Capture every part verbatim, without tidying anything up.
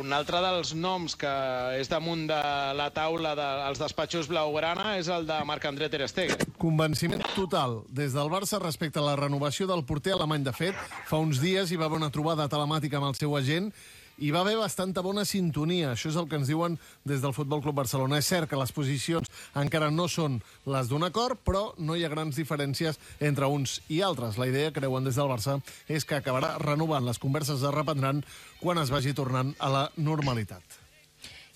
un altre dels noms que és damunt de la taula dels despatxos blaugrana és el de Marc-André ter Stegen. Convenciment total des del Barça respecte a la renovació del porter alemany. De fet, fa uns dies hi va haver una trobada telemàtica amb el seu agent i va haver bastanta bona sintonia. Això és el que ens diuen des del Futbol Club Barcelona. És cert que les posicions encara no són les d'un acord, però no hi ha grans diferències entre uns i altres. La idea, creuen des del Barça, és que acabarà renovant. Les converses es reprendran quan es vagi tornant a la normalitat.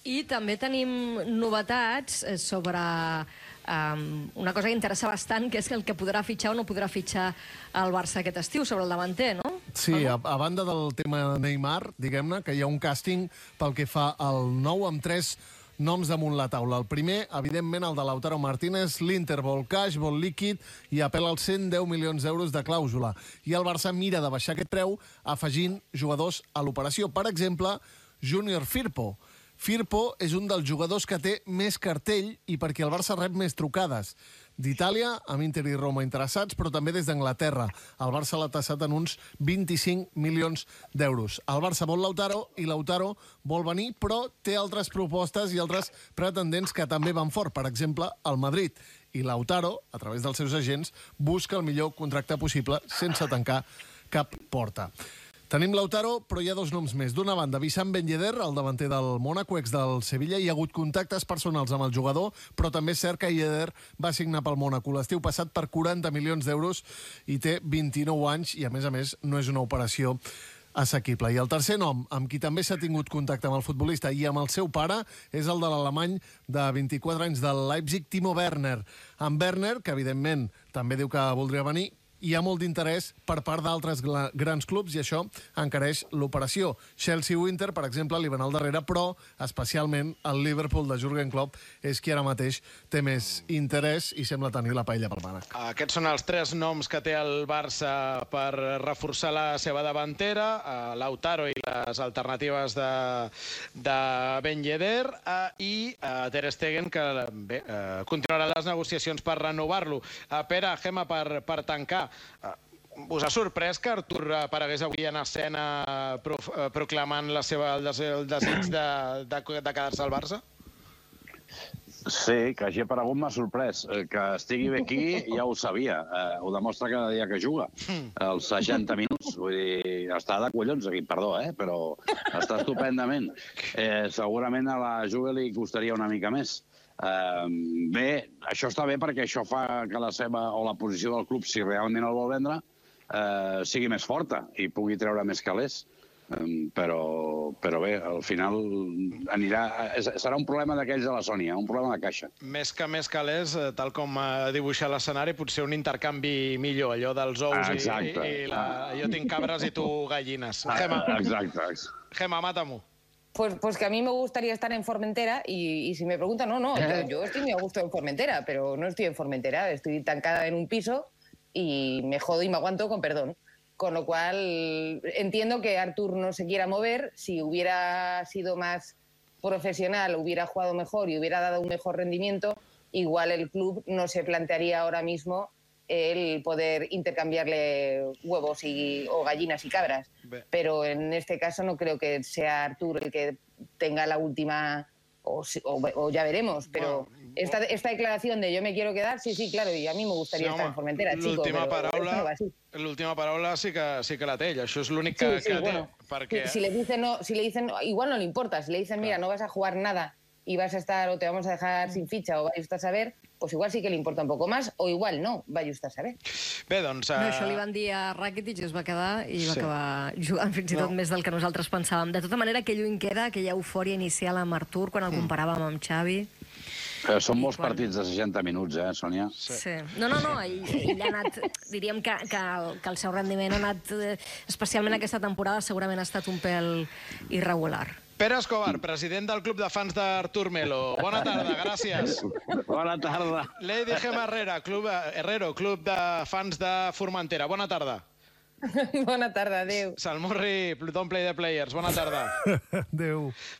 I també tenim novetats sobre um, una cosa que interessa bastant, que és el que podrà fitxar o no podrà fitxar el Barça aquest estiu, sobre el davanter, no? Sí, a, a banda del tema Neymar, diguem-ne, que hi ha un càsting pel que fa al nou amb tres noms damunt la taula. El primer, evidentment, el de Lautaro Martínez. L'Inter vol cash, vol líquid i apel·la als cent deu milions d'euros de clàusula. I el Barça mira de baixar aquest preu afegint jugadors a l'operació. Per exemple, Junior Firpo. Firpo és un dels jugadors que té més cartell i perquè el Barça rep més trucades. D'Itàlia, amb Inter i Roma interessats, però també des d'Anglaterra. El Barça l'ha tassat en uns vint-i-cinc milions d'euros. El Barça vol Lautaro i Lautaro vol venir, però té altres propostes i altres pretendents que també van fort. Per exemple, el Madrid. I Lautaro, a través dels seus agents, busca el millor contracte possible sense tancar cap porta. Tenim Lautaro, però hi ha dos noms més. D'una banda, Wissam Ben Yedder, el davanter del Mónaco, ex del Sevilla. Hi ha hagut contactes personals amb el jugador, però també és cert que Yedder va signar pel Mónaco l'estiu passat per quaranta milions d'euros i té vint-i-nou anys i, a més a més, no és una operació assequible. I el tercer nom, amb qui també s'ha tingut contacte amb el futbolista i amb el seu pare, és el de l'alemany de vint-i-quatre anys del Leipzig, Timo Werner. En Werner, que evidentment també diu que voldria venir, hi ha molt d'interès per part d'altres grans clubs i això encareix l'operació. Chelsea o Inter, per exemple, li van al darrere, però especialment el Liverpool de Jürgen Klopp és qui ara mateix té més interès i sembla tenir la paella pel mànec. Aquests són els tres noms que té el Barça per reforçar la seva davantera, Lautaro i les alternatives de, de Ben Yedder, i Ter Stegen, que bé, continuarà les negociacions per renovar-lo. Pere, Gemma, per, per tancar, us ha sorprès que Artur aparegués avui en escena proclamant la seva, el desig de, de, de quedar-se al Barça? Sí, que hagi aparegut m'ha sorprès. Que estigui bé aquí ja ho sabia. Eh, ho demostra cada dia que juga. Els seixanta minuts. Vull dir, està de collons aquí, perdó, eh? Però està estupendament. Eh, segurament a la Juve li costaria una mica més. Uh, bé, això està bé perquè això fa que la seva o la posició del club, si realment el vol vendre, uh, sigui més forta i pugui treure més calés. Um, però, però bé, al final anirà, serà un problema d'aquells de la Sònia, un problema de caixa. Més que més calés, tal com ha dibuixat l'escenari, potser un intercanvi millor, allò dels ous ah, i, i la, jo tinc cabres i tu gallines. Gemma, exacte. Gemma, mata-m'ho. Pues, pues que a mí me gustaría estar en Formentera y, y si me preguntan, no, no, yo, yo estoy muy a gusto en Formentera, pero no estoy en Formentera, estoy tancada en un piso y me jodo y me aguanto con perdón. Con lo cual entiendo que Artur no se quiera mover. Si hubiera sido más profesional, hubiera jugado mejor y hubiera dado un mejor rendimiento, igual el club no se plantearía ahora mismo el poder intercambiarle huevos y, o gallinas y cabras. Pero en este caso no creo que sea Artur el que tenga la última, o, o, o ya veremos, pero bueno, esta, esta declaración de yo me quiero quedar, sí, sí, claro, y a mí me gustaría sí, estar home, en Formentera, chico, però paraula, no va así. L'última paraula sí que, sí que la té, això és l'únic que, sí, sí, que bueno, té. Perquè... Si, si, le dicen no, si le dicen, igual no le importa, si le dicen, mira, no vas a jugar nada y vas a estar, o te vamos a dejar sin ficha, o vaya usted a saber, pues igual sí que le importa un poco más, o igual no, vaya usted a saber. Bé, doncs... Uh... No, això li van dir a Rakitic i es va quedar i va sí. acabar jugant fins i tot no. més del que nosaltres pensàvem. De tota manera, que lluny queda aquella eufòria inicial amb Artur quan el mm. comparàvem amb Xavi. Eh, són molts quan... partits de seixanta minuts, eh, Sònia? Sí. sí. No, no, no, ell, ell ha anat... Diríem que, que, el, que el seu rendiment ha anat, especialment aquesta temporada, segurament ha estat un pèl irregular. Pere Escobar, president del Club de Fans d'Artur Melo. Bona tarda, gràcies. Bona tarda. Lady Gemma Herrera, Club, Herrero, Club de Fans de Formentera. Bona tarda. Bona tarda, adéu. Salmurri, Don't Play the Players, bona tarda. Adéu.